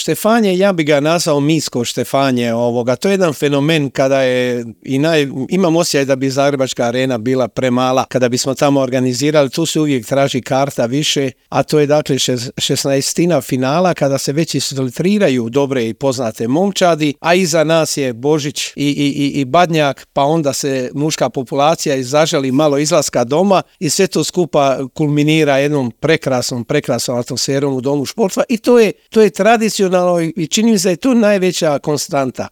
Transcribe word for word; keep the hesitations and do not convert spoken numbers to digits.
Štefanje, ja bi ga nazvao misko Štefanje ovoga. To je jedan fenomen kada je i naj, imam osjećaj da bi Zagrebačka arena bila premala kada bismo tamo organizirali. Tu se uvijek traži karta više, a to je dakle šesnaestina finala kada se već isfiltriraju dobre i poznate momčadi, a iza nas je Božić i, i, i, i Badnjak, pa onda se muška populacija izaželi malo izlaska doma i sve to skupa kulminira jednom prekrasnom, prekrasnom atmosferom u domu športstva i to je, to je tradicionalno i čini mi se da je to najveća konstanta.